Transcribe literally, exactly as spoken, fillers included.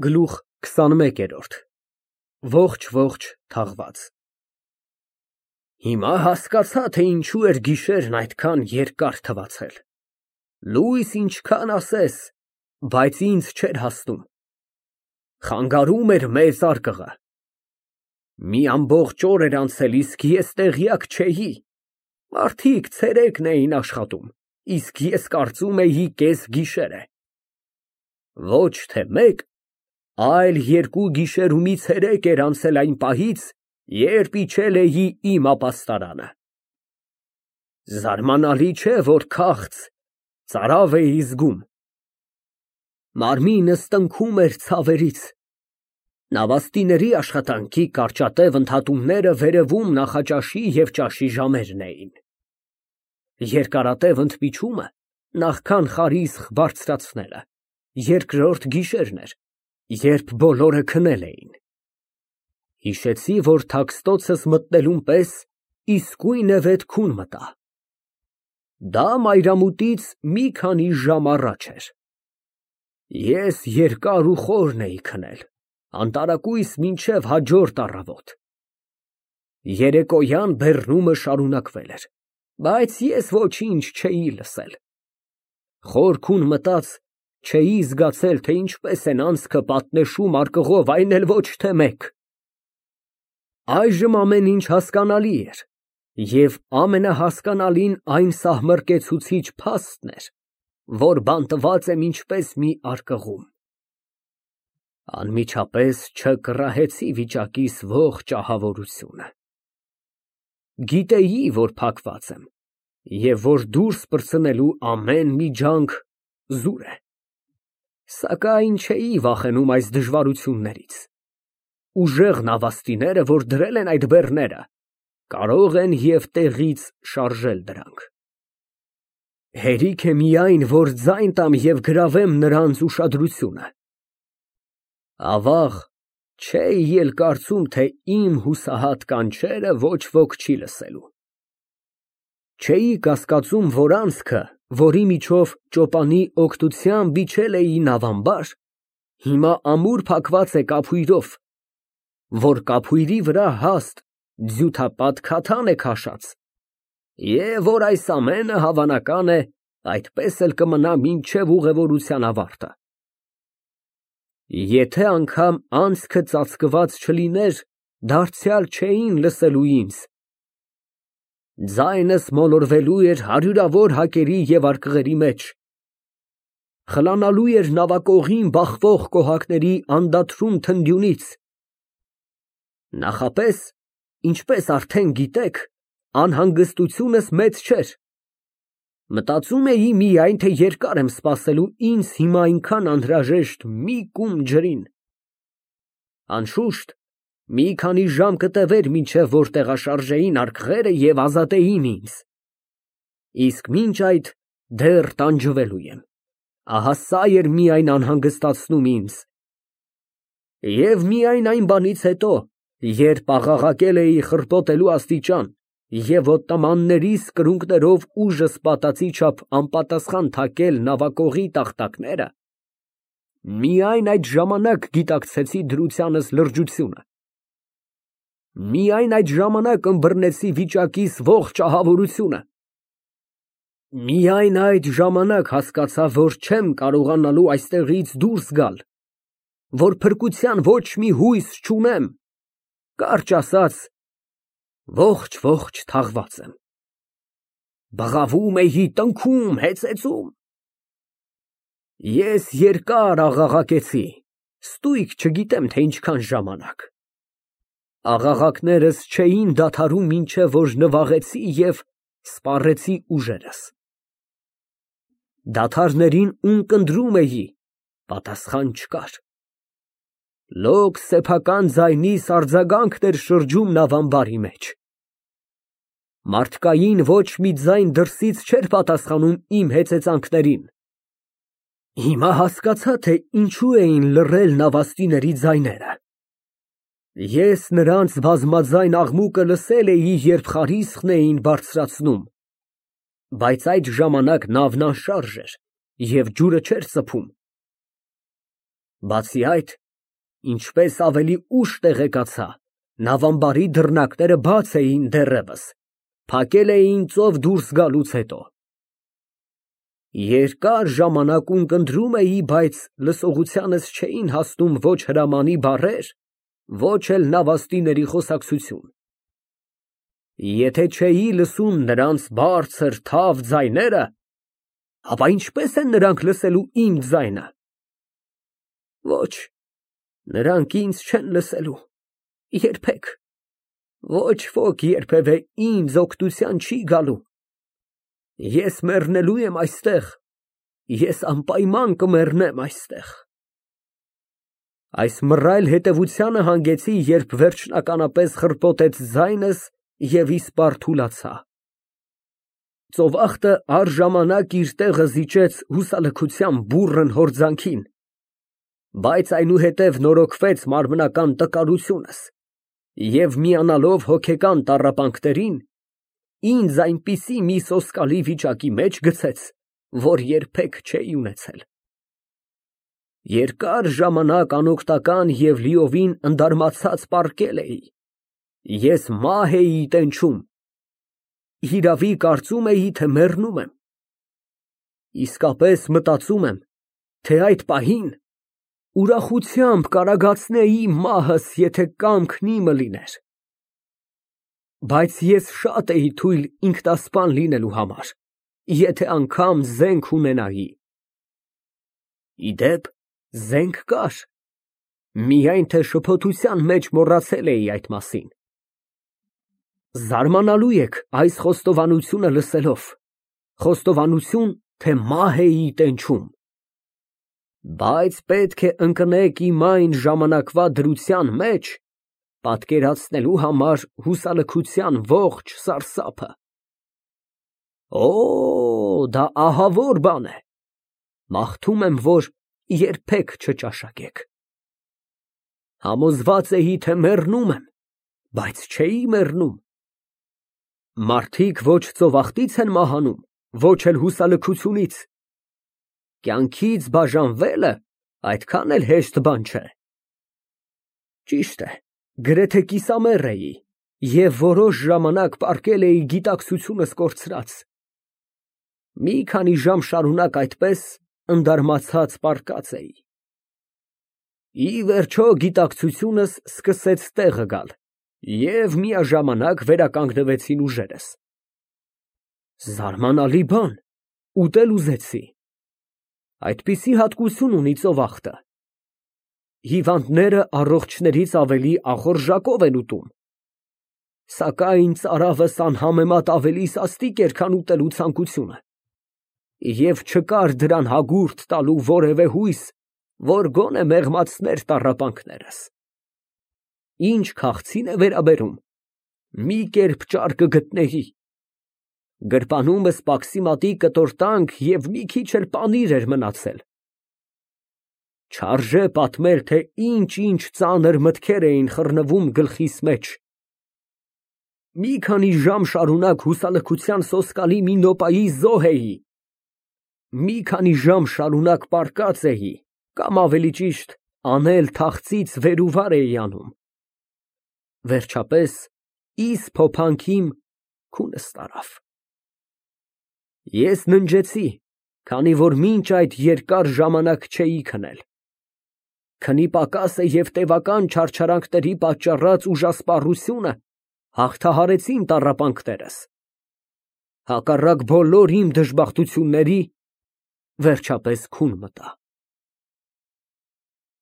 Գլուխ քսանմեկերորդ Ողջ ողջ թաղված Հիմա հասկացա, թե ինչու էր գիշերն այդքան երկար թվացել, լույս ինչքան ասես, բայց ինձ չէր հասնում, խանգարում էր մեծ արկղը, մի ամբողջ օր էր անցել, իսկ ես տեղյակ չէի, մարդիկ ցերեկն էին աշխատում, իսկ ես կարծում էի կես գիշեր է, ոչ թե մեկ, այլ երկու գիշեր ու մի ցերեկ էր անցել այն պահից, երբ իջել էի իմ ապաստարանը, զարմանալի չէ, որ քաղց, ծարավ էի զգում, մարմինս տնքում էր ցավերից, նավաստիների աշխատանքի կարճատև ընդհատումները վերևում նախաճաշի և ճաշի ժամերն էին, երկարատև ընդմիջումը նախքան խարիսխ բարձրացնելը, երկրորդ գիշերն էր, երբ բոլորը քնել էին, հիշեցի, որ թաքստոցս մտնելուն պես իսկույնևեթ քուն մտա, դա մայրամուտից մի քանի ժամ առաջ էր, ես երկար ու խորն էի քնել, անտարակույս մինչև հաջորդ առավոտ, երեկոյան բեռնումը շարունակվել էր, բայց ես ոչինչ չէի լսել, խոր քուն մտած, չէի զգացել, թե ինչպես են անցքը պատնեշում արկղով, այն էլ ոչ թե մեկ, այժմ ամեն ինչ հասկանալի էր, և ամենահասկանալին այն սահմռկեցուցիչ փաստն էր, որ բանտված եմ ինչպես մի արկղում, անմիջապես չկռահեցի վիճակիս ողջ ահավորությունը, գիտեի, որ փակված եմ, և որ դուրս պրծնելու ամեն մի ջանք զուր է, սակայն չէի վախենում այս դժվարություններից, ուժեղ նավաստիները, որ դրել են այդ բեռները, կարող են և տեղից շարժել դրանք, հերիք է միայն, որ ձայն տամ և գրավեմ նրանց ուշադրությունը, ավաղ, չէի էլ կարծում, թե իմ հուսահատ կանչերը ոչ ոք չի լսելու, չէի կասկածում, որ անցքը, որի միջով ճոպանի օգնությամբ իջել էի նավամբար, հիմա ամուր փակված է կափույրով, որ կափույրի վրա հաստ ձյութապատ քաթան է քաշած, և որ այս ամենը, հավանական է, այդպես էլ կմնա մինչև ուղևորության ավարտը, եթե անգամ անցքը ծածկված չլիներ, դարձյալ չէին լսելու ինձ, ձայնս մոլորվելու էր հարյուրավոր հակերի և արկղերի մեջ, խլանալու էր նավակողին բախվող կոհակների անդադրուն թնդյունից, նախապես, ինչպես արդեն գիտեք, անհանգստությունս մեծ չէր, մտածում էի միայն, թե երկար եմ սպասելու ինձ հիմա այնքան անհրաժեշտ մի կում ջրին, անշուշտ, մի քանի ժամ կտևեր, մինչև որ տեղաշարժեին արկղերը և ազատեին ինձ, իսկ մինչ այդ դեռ տանջվելու եմ, ահա սա էր միայն անհանգստացնում ինձ, և միայն այն բանից հետո, երբ աղաղակել էի խռպոտելու աստիճան և օտամաններիս կրունկներով ուժս պատածի չափ անպատասխան թակել նավակողի տախտակները, միայն այդ ժամանակ գիտակցեցի դրությանս լրջությունը, միայն այդ ժամանակ ըմբռնեցի վիճակիս ողջ ահավորությունը, միայն այդ ժամանակ հասկացա, որ չեմ կարողանալու այստեղից դուրս գալ, որ փրկության ոչ մի հույս չունեմ, կարճ ասած, ողջ թաղված եմ, բղավում էի, տնքում, հեծեծում, ես երկար աղաղակեցի, ստույգ չգիտեմ, թե ինչքան ժամանակ, աղաղակներս չէին դադարում, մինչև որ նվաղեցի և սպառեցի ուժերս, դադարներին ունկնդրում էի, պատասխան չկար, լոկ սեփական ձայնիս արձագանքն էր շրջում նավամբարի մեջ, մարդկային ոչ մի ձայն դրսից չէր պատասխանում իմ հեծեծանքներին, հիմա հասկացա, թե ինչու էին լռել նավաստիների ձայները, ես նրանց բազմաձայն աղմուկը լսել էի, երբ խարիսխն էին բարձրացնում, բայց այդ ժամանակ նավն անշարժ էր և ջուրը չէր ծփում, բացի այդ, ինչպես ավելի ուշ տեղեկացա, նավամբարի դռնակները բաց էին դեռևս, փակել էին ծով դուրս գալուց հետո։ Երկար ժամանակ ունկնդրում էի, բայց լսողությանս չէին հասնում ոչ հրամանի բառեր, ոչ էլ նավաստիների խոսակցություն։ Եթե չէի լսում նրանց բարձր, թավ ձայները, ապա ինչպե՞ս են նրանք լսելու իմ ձայնը։ Ոչ, նրանք ինձ չեն լսելու, երբեք, ոչ ոք երբևէ ինձ օգնության չի գալու։ Ես մեռնելու եմ այստեղ, ես անպայման կմեռնեմ այստեղ։ Այս մռայլ հետևությանը հանգեցի, երբ վերջնականապես խռպոտեց ձայնս և իսպառ թուլացա։ Ծովախտը առժամանակ իր տեղը զիջեց հուսալքության բուռն հորձանքին, բայց այնուհետև նորոգվեց մարմնական տկարությունս և միանալով հոգեկան տառապանքներին, ինձ այնպիսի մի սոսկալի վիճակի մեջ գցեց, որ երբեք չէի ունեցել։ Երկար ժամանակ անօգնական և լիովին ընդարմացած պառկել էի, ես մահ էի տենչում, հիրավի կարծում էի, թե մեռնում եմ, իսկապես մտածում եմ, թե այդ պահին ուրախությամբ կարագացնեի մահս, եթե կամքն իմը լիներ, բայց ես շատ էի թույլ ինքնասպան լինելու համար, եթե անգամ զենք ունենայի։ Ի դեպ, զենք կար, միայն թե շփոթության մեջ մոռացել էի այդ մասին։ Զարմանալու եք այս խոստովանությունը լսելով, խոստովանություն, թե մահ էի տենչում։ Բայց պետք է ընկնեք իմ այն ժամանակվա դրության մեջ, պատկերացնելու համար հուսալքության ողջ սարսափը։ Օ, դա ահավոր բան է, մաղթում եմ, որ երբեք չճաշակեք։ Համոզված էի, թե մեռնում եմ, բայց չէի մեռնում։ Մարդիկ ոչ ծովախտից են մահանում, ոչ էլ հուսալքությունից։ Կյանքից բաժանվելը այդքան էլ հեշտ բան չէ։ Ճիշտ է, գրեթե կիսամեռ էի և որոշ ժամանակ պառկել էի գիտակցությունս կորցրած։ Մի քանի ժամ շարունակ այդպես ընդարմացած պառկած էի։ Ի վերջո գիտակցությունս սկսեց տեղը գալ և միաժամանակ վերականգնվեցին ուժերս։ Զարմանալի բան, ուտել ուզեցի։ Այդպիսի հատկություն ունի ծովախտը։ Հիվանդները առողջներից ավելի ախորժակով են ուտում, սակայն ծարավս անհամեմատ ավելի սաստիկ էր, քան ուտելու ցանկությունը, և չկար դրան հագուրդ տալու որևէ հույս, որ գոնե մեղմացներ տառապանքներս։ Ինչ քաղցին է վերաբերում, մի կերպ ճար կգտնեի, գրպանումս պաքսիմատի կտոր տանք և մի քիչ էլ պանիր էր մնացել։ Չարժե պատմել, թե ինչ֊ինչ ծանր մտքեր էին խռնվում գլխիս մեջ։ Մի քանի ժամ շարունակ հուսալքության սոսկալի մի նոպայի զոհ էի, մի քանի ժամ շարունակ պառկած էի, կամ ավելի ճիշտ, անել թախծից վեր ու վար էի անում։ Վերջապես, իզ փոփանքիմ քունս տարավ։ Ես ննջեցի, քանի որ մինչ այդ երկար ժամանակ չէի քնել։ Քնի պակասը և տևական չարչարանքների պատճառած ուժասպառությունը հաղթահարեցին տառապանքներս։ Հակառակ բոլոր իմ դժբախտությունների, վերջապես քուն մտա։